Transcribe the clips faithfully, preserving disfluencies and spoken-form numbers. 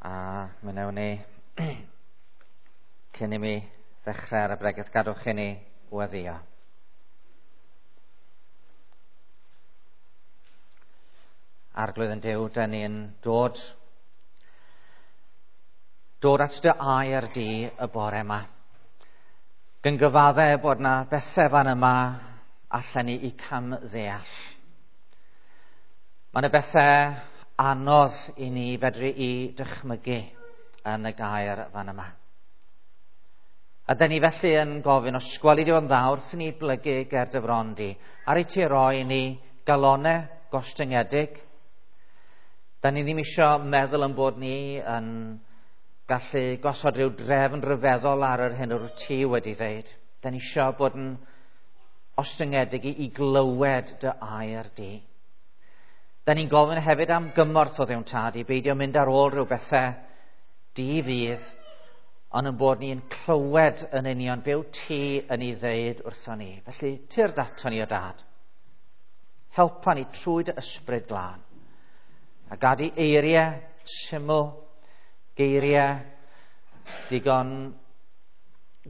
A mi wnewn ni, cyn i mi ddechrau ar y bregeth, gadwch i ni weddio. Arglwydd yn Duw, dan ni'n dod, dod at dy air di y bore yma. Gan gyfadde bod na bethau fan yma allan ni i cam ddeall. Mae yna bethau anodd i ni fedru i dychmygu yn y gair fan yma. A dyn ni felly yn gofyn, os gweli di o'n dda wrth i ni blygu ger dy fron di, ar i ti roi ni galonau gostyngedig. Da ni ddim isio meddwl yn bod ni yn gallu gosod rhyw drefn ryfeddol ar yr hyn o'r ti wedi ddeud. Da ni isio bod yn ostyngedig i, i glywed dy air di. Da ni'n gofyn hefyd am gymorth o Dduw'n Tad i beidio mynd ar ôl rhyw bethau di fydd, ond yn bod ni'n clywed yn union be wyt ti yn ei ddeud wrthon ni. Felly, tyrd ato ni o Dad. Helpa ni trwy dy ysbryd glân. A gad i eiriau syml, geiriau digon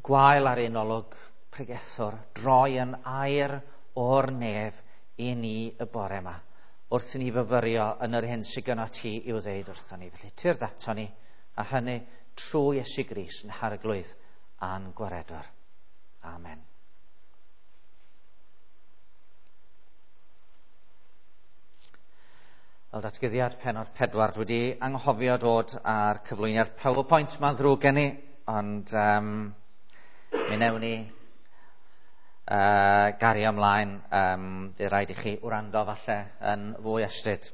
gwael ar ein olwg pregethwr, droi yn air o'r nef i ni y bore yma, wrth i ni fyfyrio yn yr hyn sydd gynno ti i'w ddeud wrthon ni. Felly, tyrd ato ni, a hynny trwy Iesu Grist yn Harglwydd a'n Gwaredwr. Amen. Fel datguddiad pennod pedwar, dwi wedi anghofio dod ar cyflwyniad PowerPoint, mae'n ddrwg gen i, ond um, mi wnewn ni uh, gario ymlaen. Um, bydd rhaid i chi wrando falle yn fwy astud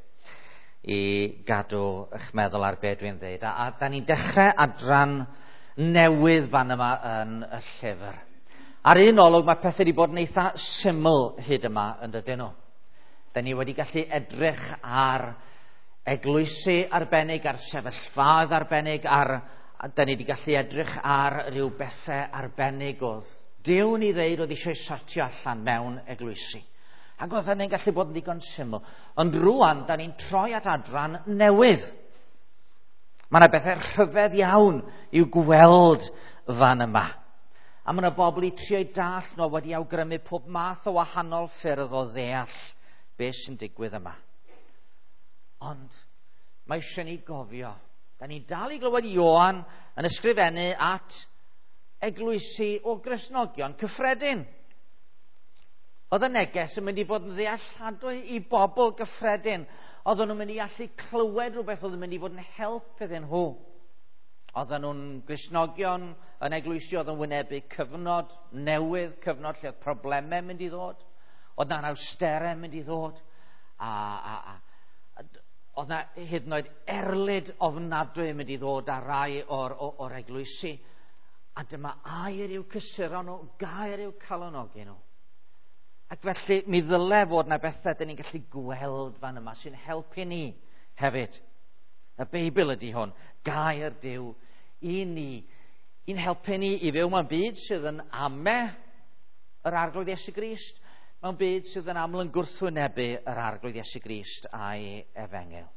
i gadw eich meddwl ar be dwi'n dweud. A, a da ni'n dechrau adran newydd fan yma yn y llyfr. Ar un olwg mae pethau wedi bod yn eitha syml hyd yma yn dydyn nhw. Da ni wedi gallu edrych ar eglwysi arbennig, ar sefyllfaoedd arbennig, ar, da ni wedi gallu edrych ar ryw bethau arbennig oedd Duw ni ddeud oedd eisiau sortio allan mewn eglwysi. Ac oedd hynny'n gallu bod yn ddigon syml. Ond rwan, da ni'n troi at adran newydd. Mae yna bethau rhyfedd iawn i'w gweld fan yma. A mae yna bobl i trio'i dall nhw wedi awgrymu pob math o wahanol ffyrdd o ddeall beth sy'n digwydd yma. Ond mae eisiau ni gofio. Da ni'n dal i glywed Ioan yn ysgrifennu at eglwysi o Gristnogion cyffredin. Oedd y neges yn mynd i fod yn ddealladwy i bobl gyffredin. Oedden nhw'n mynd i allu clywed rhywbeth oedd yn mynd i fod yn help iddyn nhw. Oedden nhw'n Gristnogion yn eglwysi oedd yn wynebu cyfnod newydd, cyfnod lle oedd problemau mynd i ddod. Oedd na'n awsterau mynd i ddod. A, a, a, oedd na hyd yn oed erlid ofnadwy yn mynd i ddod ar rai o'r, o'r, o'r eglwysi. A dyma air i'w cysuro nhw, gair i'w calonogi nhw. Ac felly mi ddyle fod na bethau dyn ni'n gallu gweld fan yma sy'n helpu ni hefyd. Y Beibl ydy hwn, gair Duw i ni, i'n helpu ni i fyw mewn byd sydd yn ame yr Arglwydd Iesu Grist, mewn byd sydd yn aml yn gwrthwynebu yr Arglwydd Iesu Grist a'i efengyl.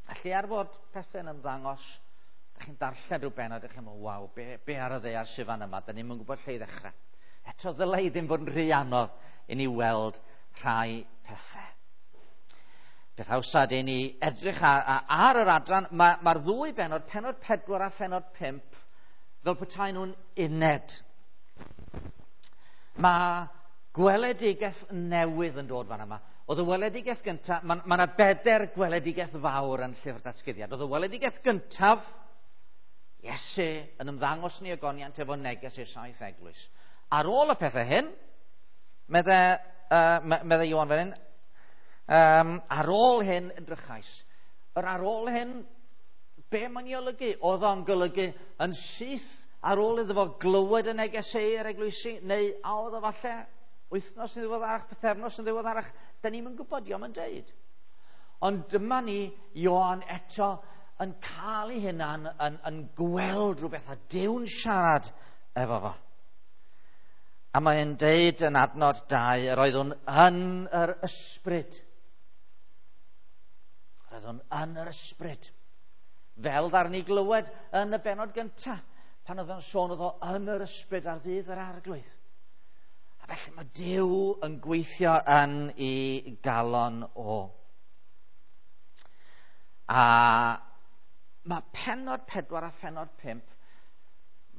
Felly ar fod pethau'n ymddangos, da chi'n darllen rhyw bennod, da chi'n meddwl, waw, be, be ar y ddaear sydd fan yma, da ni'm yn gwybod lle i ddechrau. Eto ddylai i ddim fod yn rhy anodd i ni weld rhai pethau. Peth hawsa ydy ni edrych ar, ar yr adran, mae'r ma ddwy bennod, pennod pedwar a phennod pump, fel petai nhw'n uned. Mae gweledigaeth newydd yn dod fan yma. Oedd y weledigaeth gyntaf, mae yna ma bedair gweledigaeth fawr yn llyfr datguddiad. Oedd y weledigaeth gyntaf, Iesu yn ymddangos ni ogoniant efo neges i'r saith eglwys. Ar ôl y pethau hyn, medde, uh, medde Ioan fan hyn, um, ar ôl hyn edrychais. Yr ar ôl hyn, be mae'n ei olygu? Oedd o'n golygu yn syth ar ôl iddo fo glywed y negeseu i'r eglwysi, neu a oedd o falle wythnos yn ddiweddarach, pythefnos yn ddiweddarach, da ni'm yn gwybod, dio'm yn deud. Ond dyma ni, Ioan eto yn cael ei hunan yn, yn gweld rhywbeth a Duw'n siarad efo fo. A mae'n deud yn adnod dau, yr oeddwn yn yr ysbryd. Yr oeddwn yn yr ysbryd. Fel ddaru ni glywed yn y bennod gyntaf, pan oedd o'n sôn oedd o yn yr ysbryd ar ddydd yr Arglwydd. A felly mae Duw yn gweithio yn ei galon o. A mae pennod pedwar a phennod pump,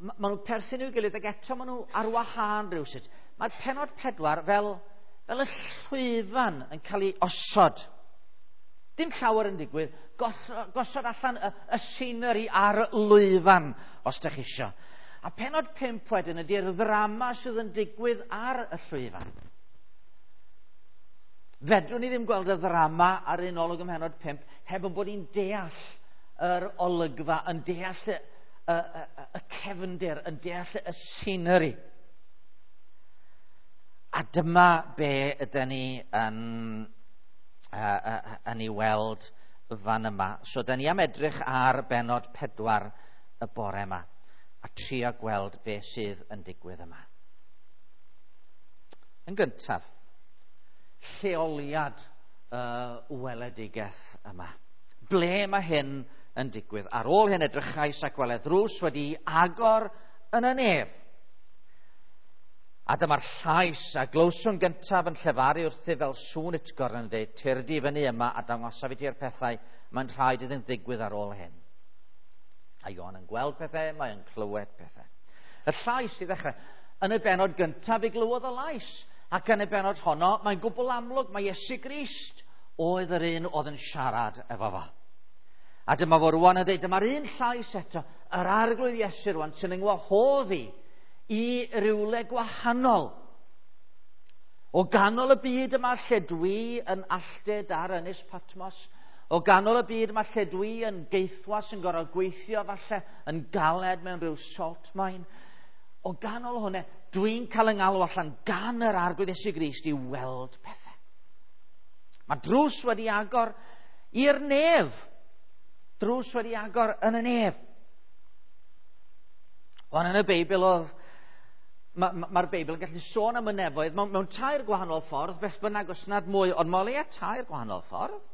maen nhw'n perthyn i'w gilydd ac eto maen nhw ar wahân rhywsut. Mae'r pennod pedwar fel, fel y llwyfan yn cael ei osod. Dim llawer yn digwydd, gosod allan y, y scenery ar lwyfan, os ydych chi isio. A pennod pump wedyn ydy'r ddrama sydd yn digwydd ar y llwyfan. Fedrwn ni ddim gweld y ddrama ar un olwg ym mhennod pump heb yn bod ni'n deall yr olygfa, yn deall y, y, y, y cefndir, yn deall y scenery. A dyma be ydyn ni yn, uh, uh, yn ei weld fan yma. So, dyn ni am edrych ar bennod pedwar y bore yma a trio gweld be sydd yn digwydd yma. Yn gyntaf, lleoliad y weledigaeth yma. Ble mae hyn yn digwydd? Ar ôl hyn edrychais ac weled ddrws wedi agor yn y nef. A dyma'r llais a glywswn gyntaf yn llefaru wrthyf fel sŵn utgorn yn dweud, tyrd i fyny yma a dangosaf i ti'r pethau mae'n rhaid iddynt ddigwydd ar ôl hyn. A Ioan yn gweld pethau, mae'n clywed pethau. Y llais i ddechrau. Yn y bennod gyntaf i glywodd y lais. Ac yn y bennod honno, mae'n gwbl amlwg, mae Iesu Grist oedd yr un oedd yn siarad efo fo. A dyma fo rwan yn dweud, dyma'r un llais eto, yr Arglwydd Iesu rwan sy'n yngwahodd i i rywle gwahanol. O ganol y byd yma lle dwi yn alltud ar Ynys Patmos, o ganol y byd yma lle dwi yn geithwas yn gorfod gweithio falle yn galed mewn rhyw salt mine, o ganol hwnna, dwi'n cael yng ngalw allan gan yr Arglwydd Iesu Grist i weld pethau. Mae drws wedi agor i'r nef. Drws wedi agor yn y nef. Ond yn y Beibl oedd, mae'r ma, ma Beibl yn gallu sôn am y nefoedd mewn, mewn tair gwahanol ffordd, beth bynnag os nad mwy, ond mae o leia tair gwahanol ffordd.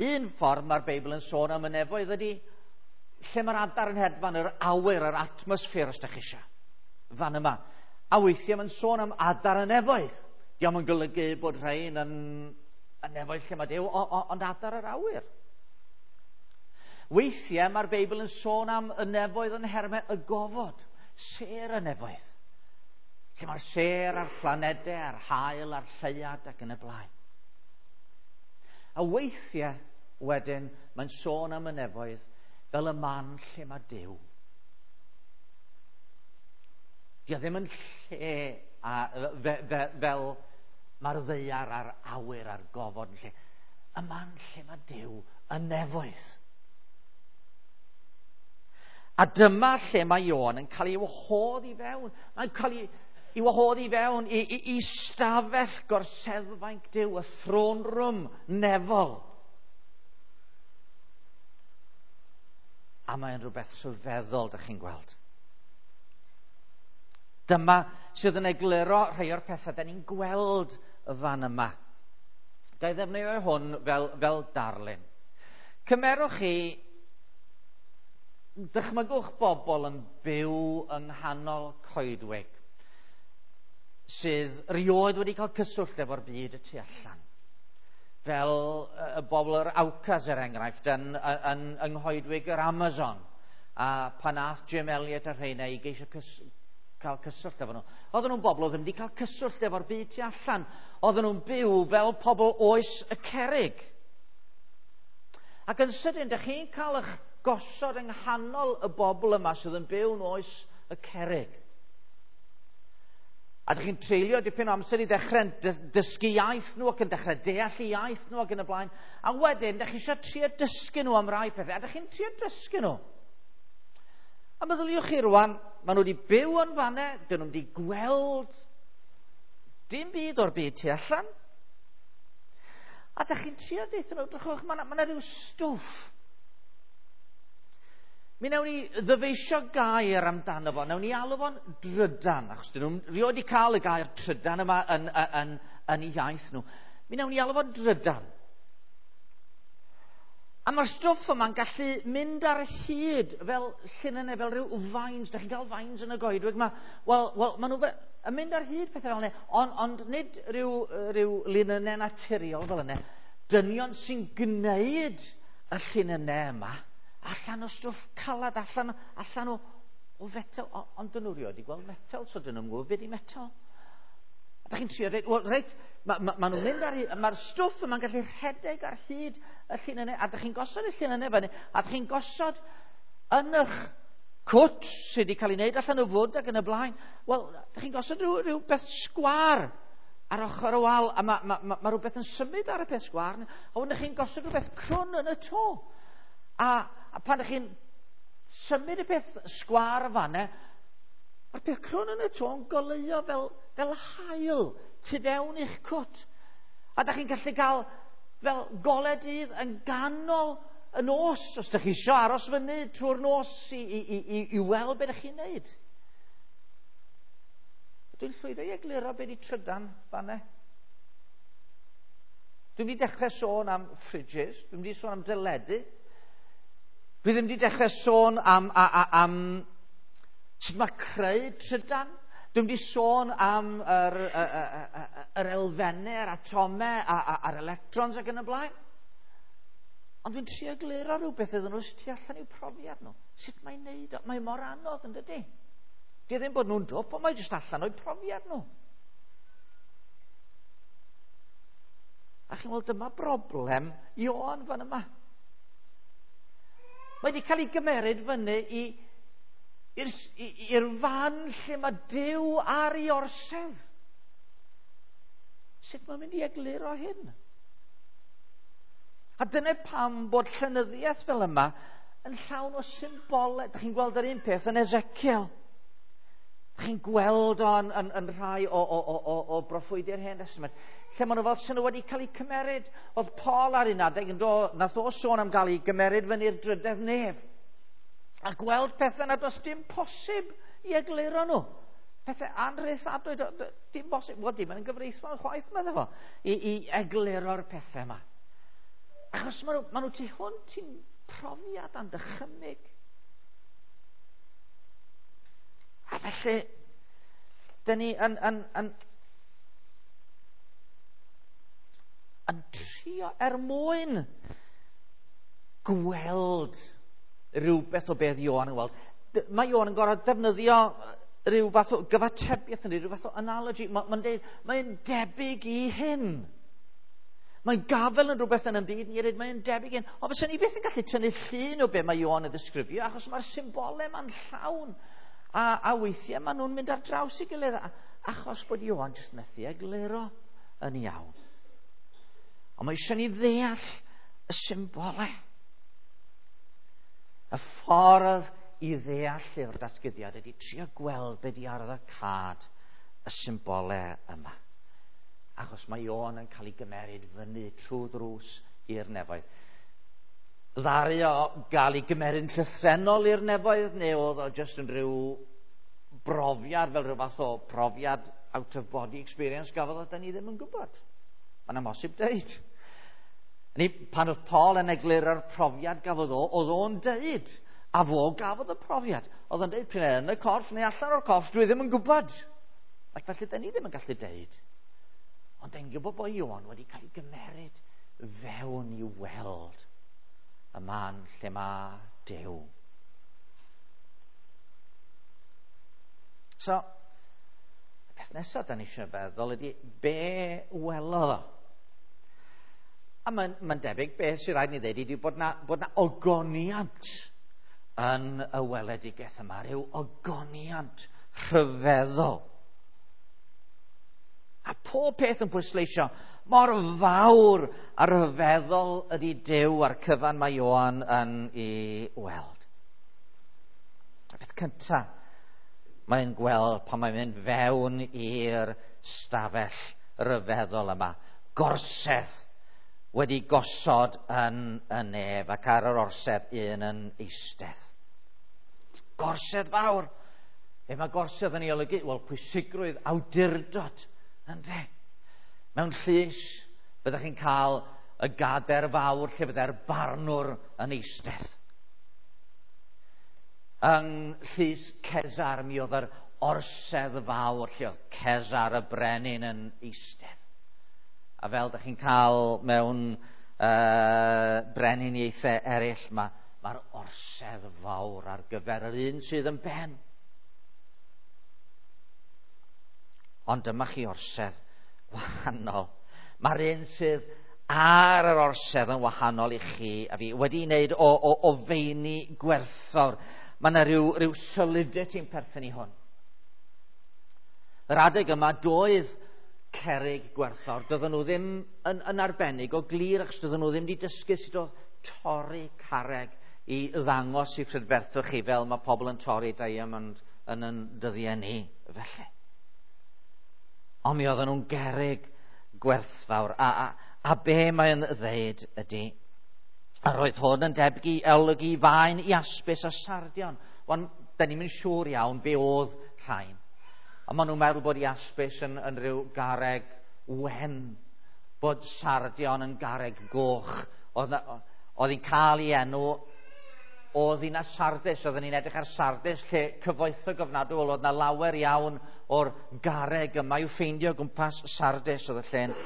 Un ffordd mae'r Beibl yn sôn am y nefoedd ydy lle mae'r adar yn hedfan, yr awyr, yr atmosffer, os ydych chi eisiau, fan yma. A weithiau mae'n sôn am adar y nefoedd. Dio'm yn golygu bod rhain yn y nefoedd lle mae Duw, ond adar yr awyr. Weithiau mae'r Beibl yn sôn am y nefoedd yn nhermau y gofod, sêr y nefoedd. Lle mae'r sêr a'r planedau, a'r haul, a'r lleuad ac yn y blaen. A weithiau wedyn mae'n sôn am y nefoedd fel y man lle mae Duw. Dio ddim yn lle a, fe, fe, fel mae'r ddaear a'r awyr a'r gofod yn lle. Y man lle mae Duw, y nefoedd. A dyma lle mae Ioan yn cael ei wahodd i fewn. Mae'n cael ei, ei wahodd i fewn i, i, i stafell gorseddfainc Duw, y throne room nefol. A mae'n rhywbeth rhyfeddol, dych chi'n gweld. Dyma sydd yn egluro rhai o'r pethau da ni'n gweld y fan yma. Ga i ddefnyddio hwn fel, fel darlun. Cymerwch chi, dychmygwch bobl yn byw yng nghanol coedwig sydd rioed wedi cael cyswllt efo'r byd y tu allan. Fel y bobl yr Aucas, er enghraifft, yn, yn, yng nghoedwig yr Amazon. A pan ath Jim Elliot a rheina i geisio cys, cael cyswllt efo nhw. Oedden nhw'n bobl oedd ddim wedi cael cyswllt efo'r byd tu allan. Oedden nhw'n byw fel pobl oes y cerrig. Ac yn sydyn, dych chi'n cael eich gosod yng nghanol y bobl yma sydd yn byw yn oes y cerrig. A dych chi'n treulio dipyn o amser i ddechrau dysgu iaith nhw ac yn dechrau deall i iaith nhw ac yn y blaen. A wedyn, dych chi eisiau trio dysgu nhw am rai pethau. A dych chi'n trio dysgu nhw. A meddyliwch chi rwan, maen nhw wedi byw yn fanne, dyn nhw wedi gweld dim byd o'r byd tu allan. A dych chi'n trio deutha nhw, drychwch, mae yna rhyw stwff. Mi wnawn ni ddyfeisio gair amdano fo, wnawn ni alw fo'n drydan, achos dyn nhw'n rioed wedi cael y gair trydan yma yn, yn, yn, yn eu iaith nhw. Mi wnawn ni alw fo'n drydan. A mae'r stwff yma'n gallu mynd ar y hyd fel llinynnau, fel rhyw vines. Da chi'n cael vines yn y goedwig? Ma, wel, wel, maen nhw fe, yn mynd ar hyd pethau fel yna, ond, ond nid rhyw, rhyw linynnau naturiol fel yna. Dynion sy'n gwneud y llinynnau yma allan o stwff calad, allan, allan o, o fetel. O, ond dyn nhw rioed i gweld metel, so dyn nhw'n gwybod beth i metel. A da chi'n trio dweud, wel, reit, mae ma, ma nhw'n mynd ar, mae'r stwff yma'n gallu rhedeg ar hyd y llinynnau, a da chi'n gosod y llinynnau fyny, a da chi'n gosod yn eich cwt sydd wedi cael ei wneud allan o fwd ac yn y blaen. Wel, da chi'n gosod rhyw, rhyw beth sgwâr ar ochr y wal, a mae ma, ma, ma rhywbeth yn symud ar y peth sgwâr, a wedyn chi'n gosod rhywbeth crwn yn y to. A, a pan ydych chi'n symud y peth sgwâr y fanne, mae'r peth crwn yn y to yn goleuo fel, fel haul tu fewn i'ch cwt. A da chi'n gallu cael fel golau dydd yn ganol y nos, os da chi isio aros fyny trwy'r nos i, i, i, i, i weld beth ydych chi'n neud. Dwi'n llwyddo i egluro beth i trydan fanne. Dwi'n mynd i dechrau sôn am fridges, dwi'n mynd i sôn am deledu. Dwi ddim wedi dechrau sôn am, a, a, am sut mae creu trydan. Dwi'n mynd i sôn am yr, yr, yr, yr elfennau, yr atomau, a'r electrons ac yn y blaen. Ond dwi'n trio egluro rhywbeth iddyn nhw sydd tu allan i'w profiad nhw. Sut mae'n neud o? Mae mor anodd yn dydy. Di ddim bod nhw'n dwp, ond mae jyst allan o'u profiad nhw. A chi'n weld, dyma broblem Ioan fan yma. Mae wedi cael ei gymeryd fyny i, i'r, i'r fan lle mae Duw ar ei orsedd. Sut mae'n mynd i egluro hyn? A dyna pam bod llenyddiaeth fel yma yn llawn o symbolau. Dych chi'n gweld yr un peth yn Ezekiel. Dych chi'n gweld o'n yn, yn rhai o, o, o, o, o broffwydi'r Hen Testament. Lle maen nhw fel sy'n nhw wedi cael eu cymeryd. Oedd Paul ar un adeg yn do, nath o sôn am gael ei gymeryd fyny'r drydedd nef. A gweld pethau nad oes dim posib i egluro nhw. Pethau anrheithadwy, dim bosib. Wel, dim yn gyfreithlon chwaith, meddwl fo, i, i egluro'r pethau yma. Achos maen nhw, maen nhw tu hwnt i'n profiad a'n dychymyg. A felly, dyn ni yn, yn, yn, yn trio er mwyn gweld rhywbeth o beth Ioan yn weld. Mae Ioan yn gorfod defnyddio rhyw fath o gyfatebiaeth yn rhyw fath o analogy. Mae'n deud, mae'n debyg i hyn. Mae'n gafel yn rhywbeth yn y byd ni eraill, mae'n debyg i hyn. Ond fysa ni byth yn gallu tynnu llun o be mae Ioan yn ddisgrifio, achos mae'r symbolau ma'n llawn. A, a weithiau maen nhw'n mynd ar draws i gilydd, achos bod Ioan jyst methu egluro yn iawn. Ond mae eisiau ni ddeall y symbolau. Y ffordd i ddeall llyfr datguddiad ydy trio gweld be di arwyddocâd y symbolau yma. Achos mae Ioan yn cael ei gymeryd fyny trwy ddrws i'r nefoedd. Ddaru o gael ei gymeryd yn llythrennol i'r nefoedd, neu oedd o jyst yn rhyw brofiad, fel rhyw fath o profiad out of body experience gafodd o, da ni ddim yn gwybod. Mae'n amhosib deud. Ni, pan oedd Paul yn egluro'r profiad gafodd o, oedd o'n deud, a fo gafodd y profiad. Oedd o'n deud, pryd yn y corff neu allan o'r corff, dwi ddim yn gwybod. Ac felly, da ni ddim yn gallu deud. Ond da ni'n gwybod bod Ioan wedi cael ei gymeryd fewn i weld y man lle mae Duw. So, y peth nesaf da ni eisiau feddwl ydy, be welodd o? A mae'n ma debyg beth sy'n rhaid ni ddeud ydy bod na, bod na ogoniant yn y weledigaeth yma, rhyw ogoniant rhyfeddol. A pob peth yn pwysleisio mor fawr a rhyfeddol ydy Duw a'r cyfan mae Ioan yn ei weld. Y peth cyntaf mae'n gweld pan mae'n mynd fewn i'r stafell ryfeddol yma. Gorsedd wedi gosod yn y nef ac ar yr orsedd un yn eistedd. Gorsedd fawr. Be mae gorsedd yn ei olygu? Wel, pwysigrwydd awdurdod. Ynde? Mewn llys, byddwch chi'n cael y gader fawr lle fydde'r barnwr yn eistedd. Yng Llys Cesar mi oedd yr orsedd fawr lle oedd Cesar y brenin yn eistedd. A fel ydych chi'n cael mewn uh, brenhiniaethau eraill, mae'r ma orsedd fawr ar gyfer yr un sydd yn ben. Ond dyma chi orsedd wahanol. Mae'r un sydd ar yr orsedd yn wahanol i chi a fi, wedi wneud o, o, o feini gwerthfawr. Mae yna rhyw, rhyw solidity yn perthyn i hwn. Yr adeg yma doedd cerrig gwerthfawr, doedden nhw ddim yn, yn arbennig o glir, achos doedden nhw ddim wedi dysgu sut oedd torri carreg i ddangos i phrydferthwch chi fel mae pobl yn torri diamond yn yn dyddiau ni felly. Ond mi oedden nhw'n gerrig gwerthfawr. A, a, a be mae'n ddeud ydy, a roedd hwn yn debyg i olygu faen, iaspis a sardion. Wan, da ni'm yn siŵr iawn be oedd rhain. A maen nhw'n meddwl bod iaspis yn, yn rhyw garreg wen, bod sardion yn garreg goch. Oedd, oedd hi'n cael ei enw o ddinas Sardis. Oedden ni'n edrych ar Sardis lle cyfoethog ofnadwy, oedd yna lawer iawn o'r garreg yma i'w ffeindio o gwmpas Sardis. Oedd y lle'n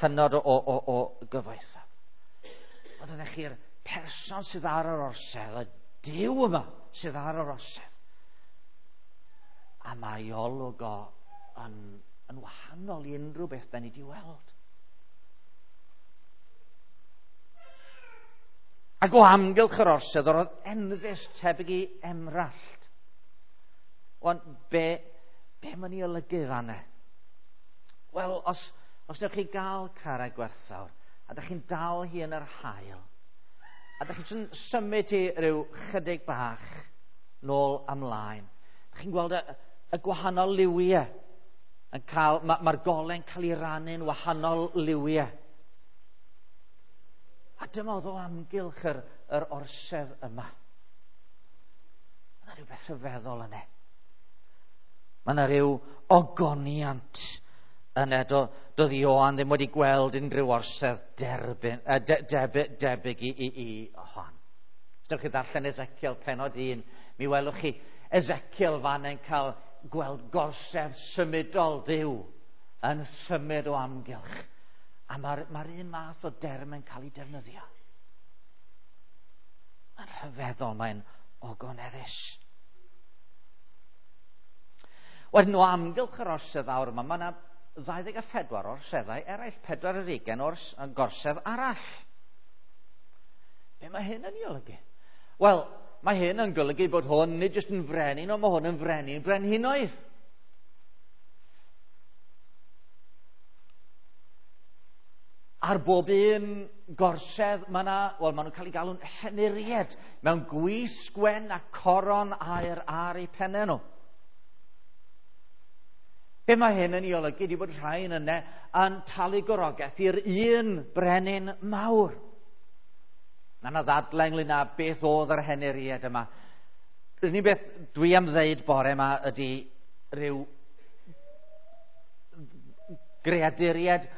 hynod o, o, o, o gyfoethog. Ond oeddech chi'r person sydd ar yr orsedd, y Duw yma sydd ar yr orsedd. A mae olwg o yn, yn wahanol i unrhyw beth da ni wedi weld. Ac o amgylch yr orsedd, yr oedd enfys tebyg i emrallt. Wan, be, be mae'n ei olygu fanna? Wel, os, os newch chi gael carreg gwerthfawr, a da chi'n dal hi yn yr haul, a da chi'n symud hi rhyw chydig bach nôl amlaen, da chi'n gweld y, y gwahanol liwiau yn cael, mae'r ma gole'n cael ei rannu'n wahanol liwiau. A dyma oedd o amgylch yr, yr orsedd yma. Mae yna rhywbeth rhyfeddol yna. Mae yna rhyw ogoniant yna. Do, doedd Ioan ddim wedi gweld unrhyw orsedd derbyn, eh, de, debyg, debyg i, i, i hon. Os ydych chi ddarllen Ezekiel penod un, mi welwch chi Ezekiel fan yn cael gweld gorsedd symudol Duw yn symud o amgylch. A mae'r ma un math o derm yn cael ei defnyddio. Mae'n rhyfeddol, mae'n ogoneddus. Wedyn o amgylch yr orsedd fawr yma, mae yna ddau ddeg a phedwar orseddau eraill, pedwar ar hugain o'r gorsedd arall. Be mae hyn yn ei olygu? Wel, mae hyn yn golygu bod hwn nid jyst yn frenin, ond mae hwn yn frenin brenhinoedd. Ar bob un gorsedd, mae yna, wel, maen nhw'n cael eu galw'n henuried mewn gwisg wen a coron aur ar eu pennau nhw. Be mae hyn yn ei olygu ydy bod rhain yna yn talu gorogaeth i'r un brenin mawr. Mae yna ddadlau ynglyn â beth oedd yr henuried yma. Yr unig beth dwi am ddeud bore yma ydy rhyw greaduried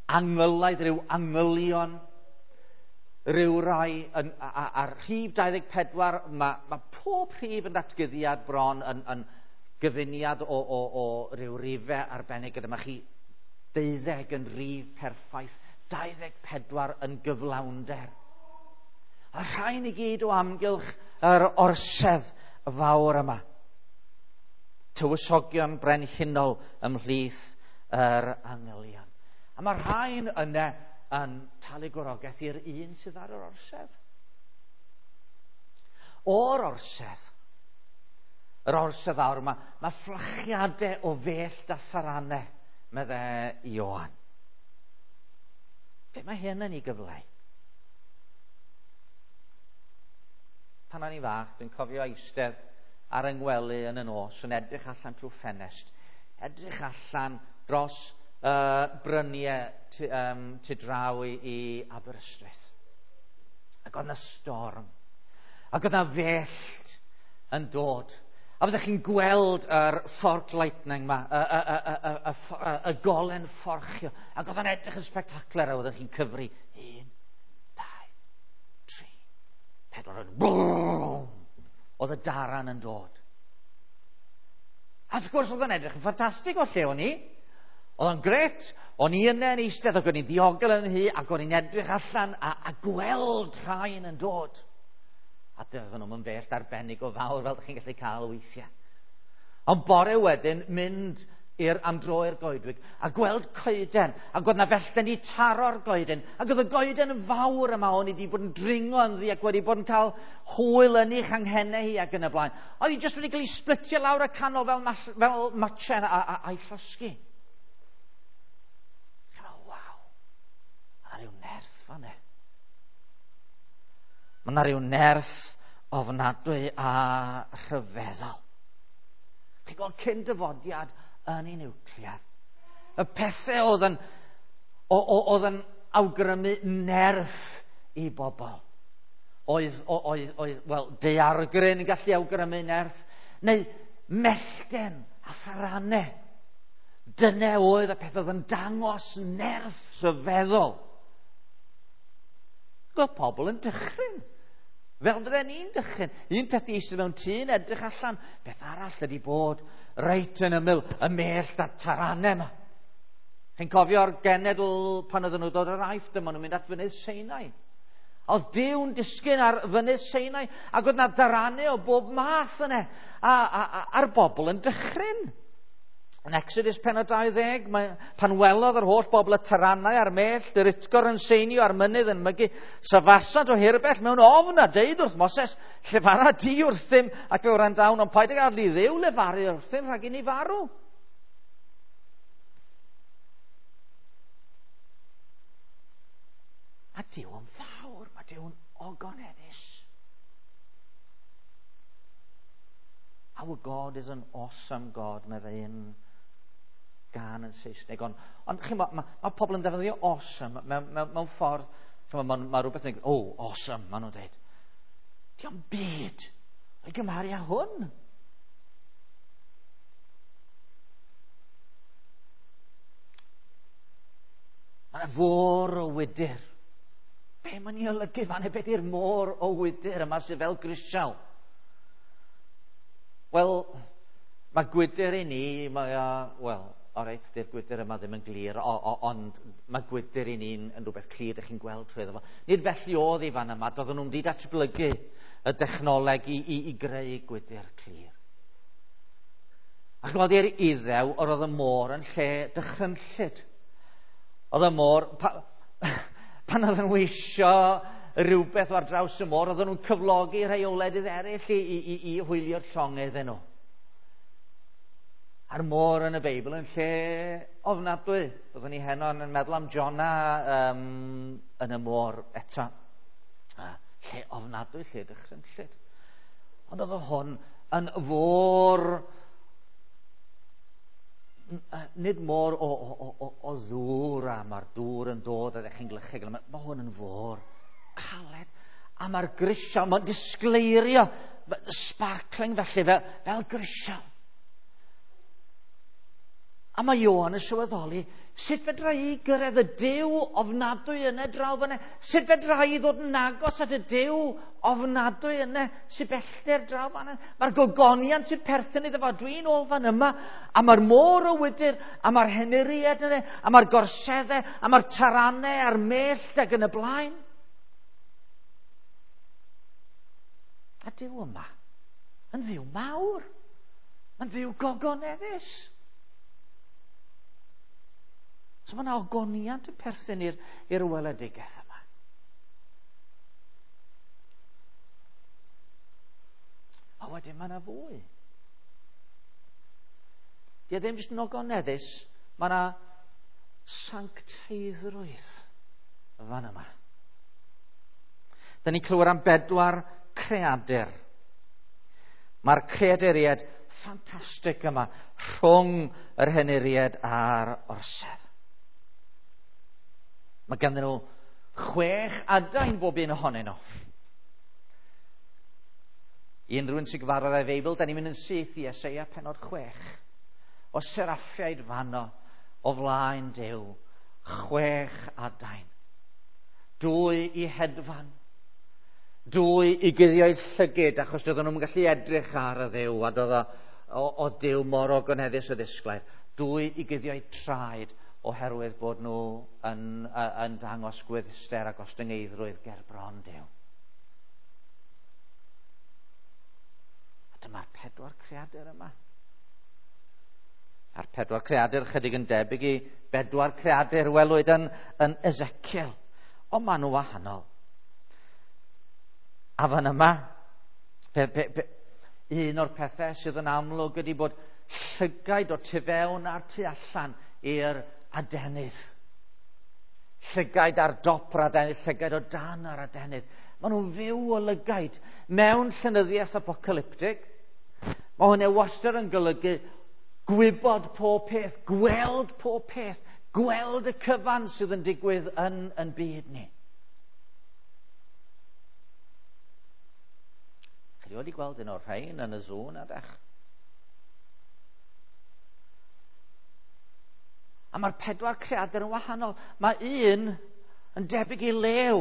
angylaidd, rhyw angylion, rhyw rai, yn, a'r rhif dau ddeg pedwar, mae, mae pob rhif yn datguddiad bron yn, yn gyfuniad o, o, o ryw rifau arbennig. Gyda mae chi deuddeg yn rif perffaith, dau ddeg pedwar yn gyflawnder. A rhain i gyd o amgylch yr orsedd fawr yma. Tywysogion brenhinol ymhlith yr angylion. A mae rhain yna yn talu gorogaeth i'r un sydd ar yr orsedd. O'r orsedd, yr orsedd fawr yma, mae fflachiadau o fellt a tharanau, medde Ioan. Be mae hyn yn ei gyfleu? Pan o'n i'n fach, dwi'n cofio eistedd ar yng ngwely yn y nos yn edrych allan trwy ffenest, edrych allan dros uh, bryniau tu, um, tu draw i, i Aberystwyth. Ac oedd yna storm. Ac oedd yna fellt yn dod. A byddech chi'n gweld yr fork lightning yma, y, y, y, y, y, y, y golen fforchio. Ac oedd yn edrych yn spectacular, a oeddech chi'n cyfri un, Pedwar yn bwm! Oedd y daran yn dod. A wrth gwrs oedd o'n edrych yn ffantastig o lle o'n i. Oedd o'n gret, o'n i yna yn eistedd ac o'n i'n ddiogel yn hi ac o'n i'n edrych allan a, a gweld rhain yn dod. A doedden nhw'n bell arbennig o fawr fel ydych chi'n gallu cael weithiau. Ond bore wedyn mynd i'r am dro i'r goedwig a gweld coeden ac oedd na fellten i taro'r goeden ac oedd y goeden yn fawr yma o'n i wedi bod yn dringo ynddi ac wedi bod yn cael hwyl yn ei changhennau hi ac yn y blaen. Oedd hi jyst wedi cael ei splitio lawr y canol fel, mas, fel matchen a, a, a'i llosgi. Waw, mae yna rhyw nerth fan e. Mae yna rhyw nerth ofnadwy a rhyfeddol. Chi'n gweld cyn dyfodiad yn ei niwclear. Y pethau oedd yn, oedd yn awgrymu nerth i bobl. Oedd, oedd, oedd, wel, daeargryn yn gallu awgrymu nerth, neu mellten a tharanau. Dyna oedd y peth oedd yn dangos nerth rhyfeddol. Gweld pobl yn dychryn. Fel fydden ni'n dychryn. Un peth i eistedd mewn tŷ yn edrych allan. Beth arall ydy bod reit yn ymyl y mellt a'r taranau yma. Chi'n cofio'r genedl pan oedden nhw dod o'r Aifft, dyma nhw'n mynd at fynydd Sinai. Oedd Duw'n disgyn ar fynydd Sinai ac oedd na daranau o bob math yna. A, a, a, a'r bobl yn dychryn. Yn Exodus pennod dau ddeg, mae, pan welodd yr holl bobl y taranau a'r mellt, yr utgor yn seinio a'r mynydd yn mygu, safasant o hirbell mewn ofn a deud wrth Moses, llefara di wrthym ac fe wrandawn, ond paid ag adl i Dduw lefaru wrthym rhag i ni farw. Mae Duw yn fawr, mae Duw yn ogoneddus. Our God is an awesome God, meddai un gan yn Saesneg. Ond, ond chi'n bod, mae, mae pobl yn defnyddio awesome mewn, mewn, mewn ffordd, chi'n bod, mae, mae rhywbeth yn dweud, oh, awesome, maen nhw'n dweud. Dio'm byd o'i gymharu â hwn. Mae yna fôr o wydr. Be mae'n ei olygu fan hyn? Beth yw'r môr o wydr yma sydd fel grisial? Wel, mae gwydr i ni, mae o, wel, o reit, di'r gwydr yma ddim yn glir, o, o, ond mae gwydr i ni'n yn rhywbeth clir, ydych chi'n gweld trwy iddo fo. Nid felly oedd i fan yma, doedden nhw'n wedi datblygu y dechnoleg i, i, i greu gwydr clir. Ac oedd i'r Iddew, yr oedd y môr yn lle dychrynllyd. Oedd y môr, pa, pan oedden nhw isio rhywbeth ar draws y môr, oedden nhw'n cyflogi rhai o wledydd eraill i, i, i, i hwylio'r llongau iddyn nhw. A'r môr yn y Beibl yn lle ofnadwy. Byddwn ni heno yn meddwl am Jona um, yn y môr eto. Lle ofnadwy, lle dychrynllyd. Ond oedd hwn yn fôr, nid môr o, o, o, o ddŵr, a mae'r dŵr yn dod a ddech chi'n glychu. Mae, mae hwn yn fôr caled. A mae'r grisial, mae'n disgleirio, sparkling felly, fel, fel grisial. A mae Ioan yn sylweddoli, sut fedra i gyrraedd y Duw ofnadwy yna draw fyna? Sut fedra i ddod yn agos at y Duw ofnadwy yna sy'n bellter draw fan'na? Mae'r gogoniant sy'n perthyn iddo fo, dwi'n ôl fan yma, a mae'r môr o wydr, a mae'r henuriad yna, a mae'r gorseddau, a mae'r taranau, a'r mellt ac yn y blaen. A Duw yma yn Dduw mawr, yn Dduw gogoneddus. So mae yna ogoniant yn perthyn i'r, i'r weledigaeth yma. A wedyn mae yna fwy. Di e ddim jyst yn ogoneddus, mae yna sancteiddrwydd fan yma. Da ni'n clywed am bedwar creadur. Mae'r creaduriaid ffantastig yma rhwng yr henuriaid a'r orsedd. Mae ganddyn nhw chwech adain bob un ohonyn nhw. I unrhyw un sy'n gyfarwydd â'i Feibl, da ni'n mynd yn syth i Eseia pennod chwech. O seraffiaid fanno, o flaen Duw, chwech adain. Dwy i hedfan, Dwy i guddio'u llygid, achos doedden nhw'n gallu edrych ar y Dduw, a doedd o, o Duw mor ogoneddus o ddisglair. Dwy i guddio'u traed, oherwydd bod nhw yn, yn dangos gwyddster a gostyngeiddrwydd ger bron Duw. A dyma'r pedwar creadur yma. A'r pedwar creadur chydig yn debyg i bedwar creadur welwyd yn, yn Ezekiel. Ond maen nhw wahanol. A fan yma, pe, pe, pe, un o'r pethau sydd yn amlwg ydy bod llygaid o tu fewn a'r tu allan i'r adenydd. Llygaid ar dop yr adenydd, llygaid o dan yr adenydd. Maen nhw'n fyw o lygaid. Mewn llenyddiaeth apocalyptig, mae hwnna wastad yn golygu gwybod pob peth, gweld pob peth, gweld y cyfan sydd yn digwydd yn, yn byd ni. Chi wedi gweld un o'r rhain yn y zoo na dech? A mae'r pedwar creadur yn wahanol. Mae un yn debyg i lew.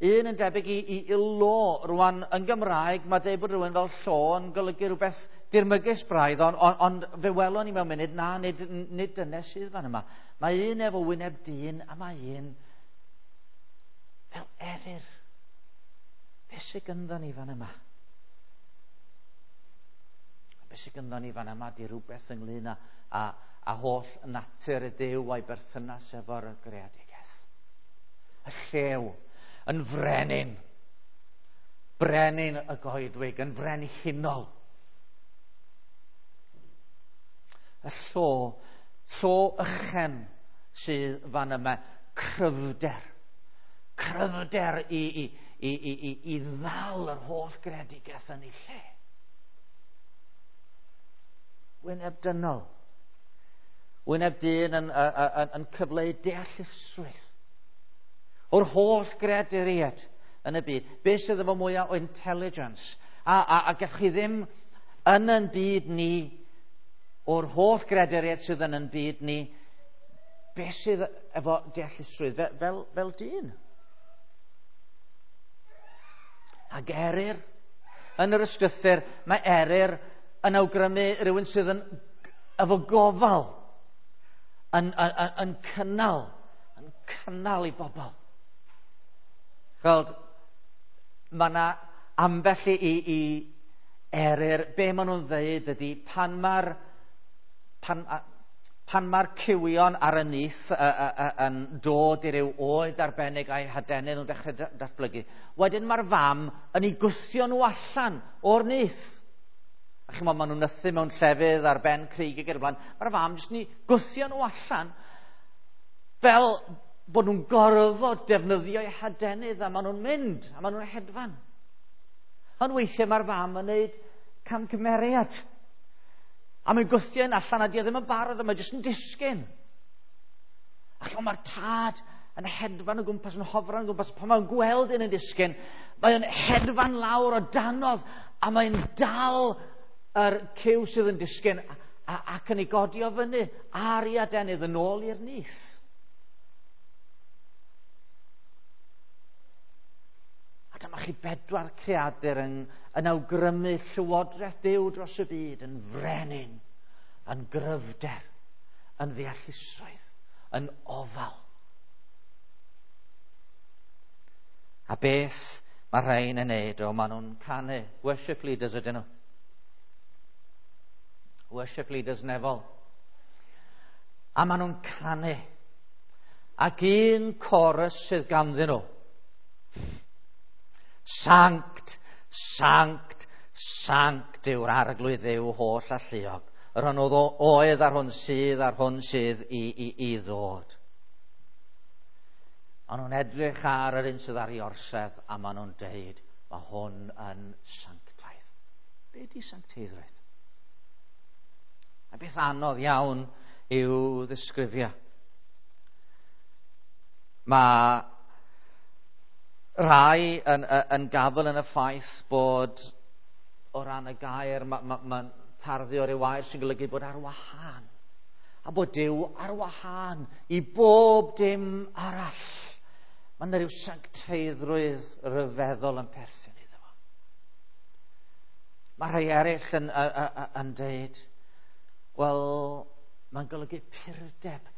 Un yn debyg i, i, i lo. Rwan, yn Gymraeg, mae dweud bod rhywun fel llo yn golygu rhywbeth dirmygus braidd, ond on, on, fe welon ni mewn munud, na, nid, nid dyna sydd fan yma. Mae un efo wyneb dyn, a mae un fel eryr. Be sydd gynddo ni fan yma? Be sydd gynddo ni fan yma di rhywbeth ynglyn â, a, a holl natur y Duw a'i berthynas efo'r greadigaeth. Y llew yn frenin, brenin y goedwig, yn frenhinol. Y llo, llo ychen sydd fan yma, cryfder, cryfder i, i, i, i, i, i ddal yr holl greadigaeth yn ei lle. Wyneb dynol, wyneb dyn yn, yn, yn, yn cyfleu deallusrwydd o'r holl greaduriaid yn y byd. Be sydd efo mwyaf o intelligence? A, a, a gallwch chi ddim yn yn byd ni, o'r holl greaduriaid sydd yn yn byd ni, be sydd efo deallusrwydd fel, fel, fel dyn? Ac eryr, yn yr ysgrythur, mae eryr yn awgrymu rhywun sydd yn efo gofal, yn, yn, yn, yn cynnal, yn cynnal i bobl. Gweld, mae yna ambell i, i, i eryr, be maen nhw'n dweud ydy, pan mae'r pan, pan mae'r cywion ar y nyth y, y, y, yn dod i ryw oed arbennig a'i hadenydd nhw'n dechrau datblygu, wedyn mae'r fam yn ei gwthio nhw allan o'r nyth. A chimod, maen nhw'n nythu mewn llefydd ar ben craig ac yn y blaen. Mae'r fam jyst yn ei gwthio nhw allan fel bod nhw'n gorfod defnyddio eu hadenydd, a maen nhw'n mynd, a maen nhw'n hedfan. Ond weithiau mae'r fam yn gwneud camgymeriad. A mae'n gwthio un allan a di o ddim yn barod, a mae jyst yn disgyn. A chimod, mae'r tad yn hedfan o gwmpas, yn hofran o gwmpas, pan mae'n gweld un yn disgyn, mae'n hedfan lawr o danodd, a mae'n dal yr cyw sydd yn disgyn, a, a, ac yn ei godi o fyny ar ei adenydd yn ôl i'r nyth. A dyma chi bedwar creadur yn, yn awgrymu llywodraeth Duw dros y byd, yn frenin, yn gryfder, yn ddeallusrwydd, yn ofal. A beth mae rhain yn neud? O, maen nhw'n canu. Worship leaders ydyn nhw. Worship leaders nefol. A maen nhw'n canu. Ac un chorus sydd ganddyn nhw. Sanct, sanct, sanct yw'r arglwydd Dduw holl alluog. Yr hwn oedd oedd a'r hwn sydd a'r hwn sydd i, i, i ddod. Maen nhw'n edrych ar yr un sydd ar ei orsedd a maen nhw'n deud, mae hwn yn sanctaidd. Be di sancteiddrwydd? A beth anodd iawn i'w ddisgrifio. Mae rai yn, yn gafel yn y ffaith bod o ran y gair, mae'n ma, ma tarddu o ryw air sy'n golygu bod ar wahân. A bod Duw ar wahân i bob dim arall. Mae yna rhyw sancteiddrwydd rhyfeddol yn perthyn iddo fo. Mae rhai eraill yn, yn, yn deud, wel, mae'n golygu purdeb,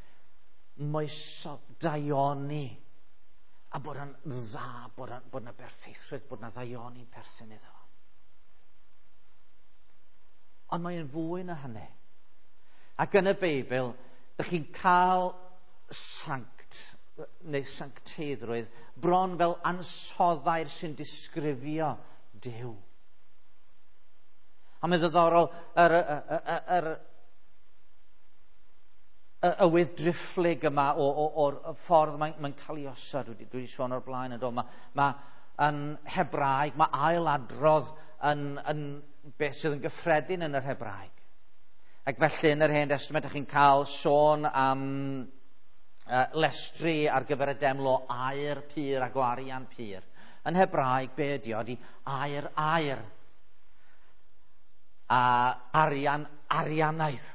moesol, daioni, a bod yn dda, bod yna bod berffeithrwydd, bod yna ddaioni'n perthyn iddo fo. Ond mae'n fwy na hynny. Ac yn y Beibl, dych chi'n cael sanct, neu sancteiddrwydd, bron fel ansoddair sy'n disgrifio Duw. A mae'n ddiddorol yr, yr, yr, y, y wydd-driphlyg yma o, o, o'r ffordd mae'n mae cael ei osod. Dwi, dwi wedi sôn o'r blaen yn dod. Mae, mae yn Hebraeg, mae ailadrodd yn, yn beth sydd yn gyffredin yn yr Hebraeg. Ac felly yn yr Hen Testament, ydych chi'n cael sôn am uh, lestri ar gyfer y deml o aur pur ac o arian pur. Yn Hebraeg, be ydi o? Ydi aur aur a arian arianaidd.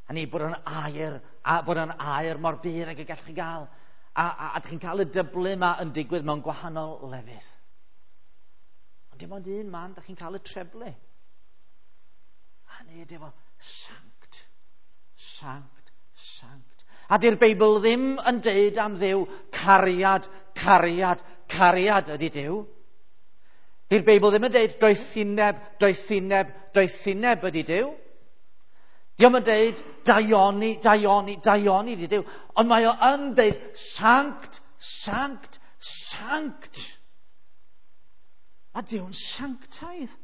Hynny bod yn aur, a bod yn aur mor bur ag y gallwch chi gael. A, a, a ydych chi'n cael y dyblu yma yn digwydd mewn gwahanol lefydd. Ond dim ond un man, ydych chi'n cael y treblu. A nid efo sanct, sanct, sanct. A di'r Beibl ddim yn deud am Dduw cariad, cariad, cariad ydy Duw. Di'r Beibl ddim yn deud doethineb, doethineb, doethineb ydy Duw. Dio'm yn deud daioni, daioni, daioni ydy Duw. Ond mae o yn deud sanct, sanct, sanct. Mae Duw'n sanctaidd.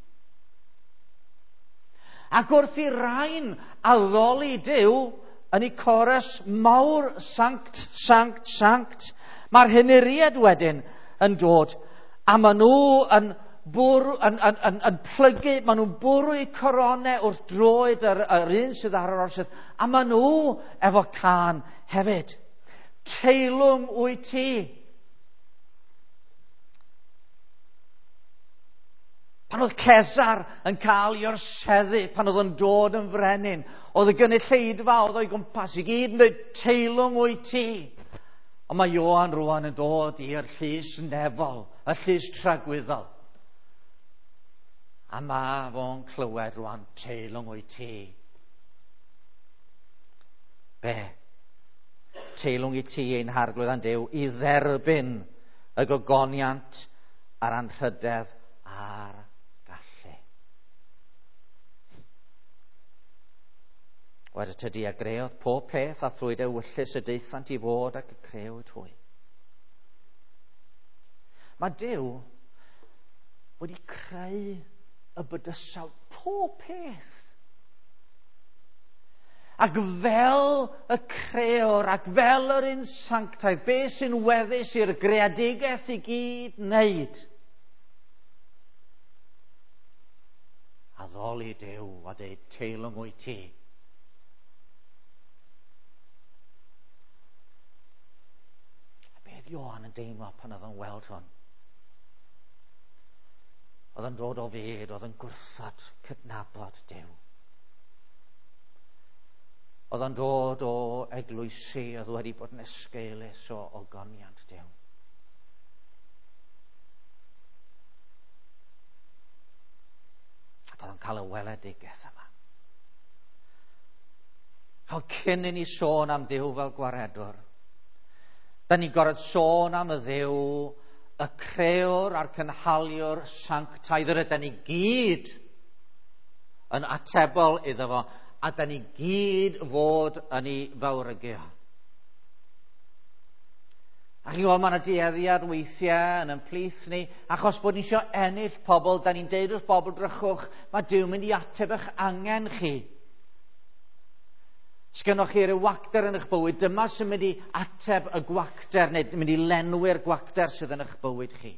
Ac wrth i rain addoli Duw yn ei chorus mawr sanct, sanct, sanct, mae'r henuriaid wedyn yn dod a maen nhw yn, bwrw, yn, yn, yn, yn plygu, maen nhw'n bwrw eu coronau wrth droed yr, yr un sydd ar yr orsedd, a maen nhw efo cân hefyd. Teilwng wyt ti. Pan oedd Cesar yn cael ei orseddu, pan oedd yn dod yn frenin, oedd y gynulleidfa oedd o'i gwmpas i gyd yn dweud, teilwng wyt ti. Ond mae Ioan rwan yn dod i'r llys nefol, y llys tragwyddol. A mae fo'n clywed rwan, teilwng wyt ti. Be? Teilwng i ti ein harglwydd a'n Duw i dderbyn y gogoniant a'r anrhydedd a'r gallu. Wedyn tydi a greodd pob peth a thrwy dewyllys y daethant i fod ac y crëwyd hwy. Mae Duw wedi creu y bydysawd pob peth. Ac fel y creor, ac fel yr un sanctaidd, be sy'n weddus i'r greadigaeth i gyd wneud? Addoli Duw a deud teilwng wyt ti. A beth Ioan yn deimlo pan oedd o'n weld hwn? Oedd yn dod o fyd, oedd yn gwrthod cydnabod Duw. Oedd yn dod o eglwysi oedd wedi bod yn esgeulus o ogoniant Duw. Ac oedd yn cael y weledigaeth yma. Fel cyn i ni sôn am Dduw fel gwaredwr, da ni'n gorfod sôn am y Dduw, y crëwr a'r cynhaliwr sanctaidd, yr ydyn ni gyd yn atebol iddo fo, a da ni gyd fod yn ei fawrygu. A chi'n gweld, mae yna dueddiad weithiau yn ymhlith ni, achos bod ni eisiau ennill pobl, da ni'n deud wrth bobl, drychwch, mae Duw mynd i ateb eich angen chi. Sgynnoch chi ryw wacter yn eich bywyd, dyma sy'n mynd i ateb y gwacter, neu mynd i lenwi'r gwacter sydd yn eich bywyd chi.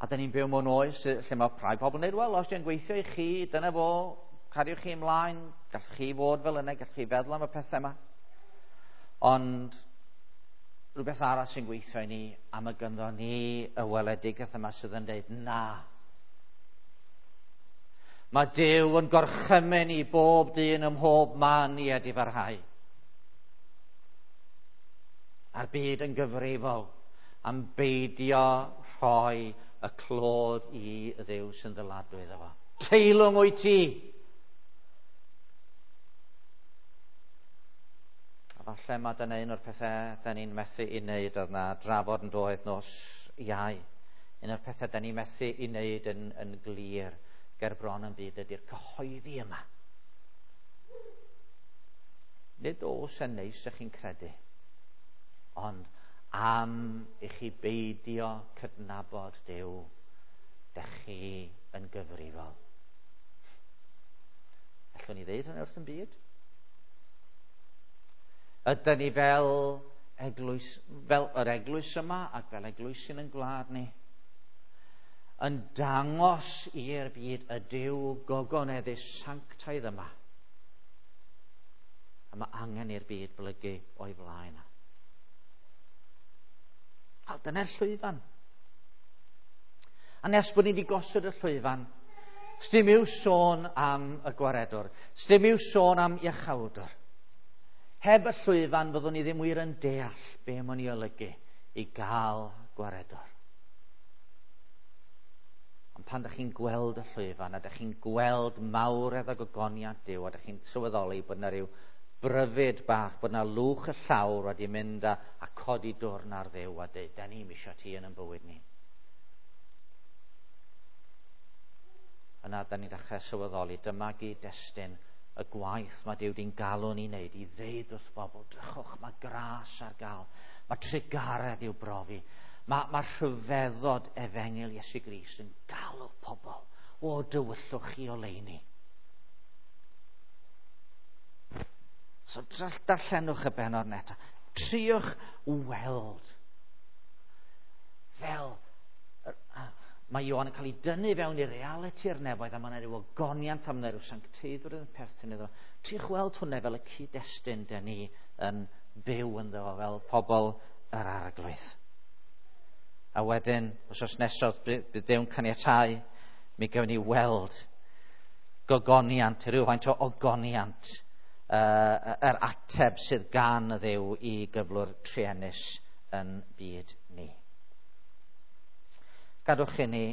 A da ni'n byw mewn oes lle mae rhai pobl yn dweud, wel, os di'n gweithio i chi, dyna fo, cariwch chi ymlaen, gallwch chi fod fel yna, gallwch chi feddwl am y pethau yma. Ond rhywbeth arall sy'n gweithio i ni, am y gynddo ni y weledigaeth yma sydd yn dweud, na. Mae Duw yn gorchymyn i bob dyn ym mhob man i edifarhau. A'r byd yn gyfrifol am beidio rhoi y clod i Dduw sy'n ddyladwy iddo fo. Teilwng wyt ti! A falle mae dyna un o'r pethau da ni'n methu i wneud, oedd na drafod yn doedd nos Iau. Un o'r pethau da ni'n methu i wneud yn, yn glir ger bron yn byd ydy'r cyhoeddi yma. Nid oes yn neis ych chi'n credu, ond am i chi beidio cydnabod Duw, dych chi yn gyfrifol. Allwn ni ddeud hynny wrth yn byd? Ydyn ni fel eglwys, fel yr eglwys yma ac fel eglwysyn yn gwlad ni, yn dangos i'r byd y Duw gogoneddus sanctaidd yma. A mae angen i'r byd blygu o'i flaen. Wel, dyna'r llwyfan. A nes bod ni wedi gosod y llwyfan, sdim i'w sôn am y gwaredwr, sdim i'w sôn am iachawdwr. Heb y llwyfan fyddwn ni ddim wir yn deall be mae'n ei olygu i gael gwaredwr. Ond pan ydych chi'n gweld y llwyfan, a ydych chi'n gweld mawredd a gogoniant Duw, a ydych chi'n sylweddoli bod yna rhyw bryfyd bach, bod yna lwch y llawr wedi mynd a, a codi dwrn ar Dduw a dweud, da ni'm isio ti yn ein bywyd ni. Yna da ni'n dechrau sylweddoli, dyma gyd-destun y gwaith mae Duw di'n galw ni wneud i ddeud wrth bobl, drychwch, mae gras ar gael, mae trugaredd i'w brofi, mae, mae rhyfeddod efengyl Iesu Grist yn galw pobl o dywyllwch i oleuni. So darllenwch y bennod neta. Triwch weld fel mae Ioan yn cael ei dynnu fewn i realiti'r nefoedd, a mae yna rhyw ogoniant, a mae yna rhyw sancteiddrwydd yn perthyn iddo. Triwch weld hwnna fel y cyd-destun dyn ni yn byw ynddo fo, fel pobl yr Arglwydd. A wedyn, wythnos nesaf, bydd Duw'n caniatáu, mi gawn ni weld gogoniant, rhywfaint o ogoniant, uh, yr ateb sydd gan y Dduw i gyflwr truenus yn byd ni. Gadwch i ni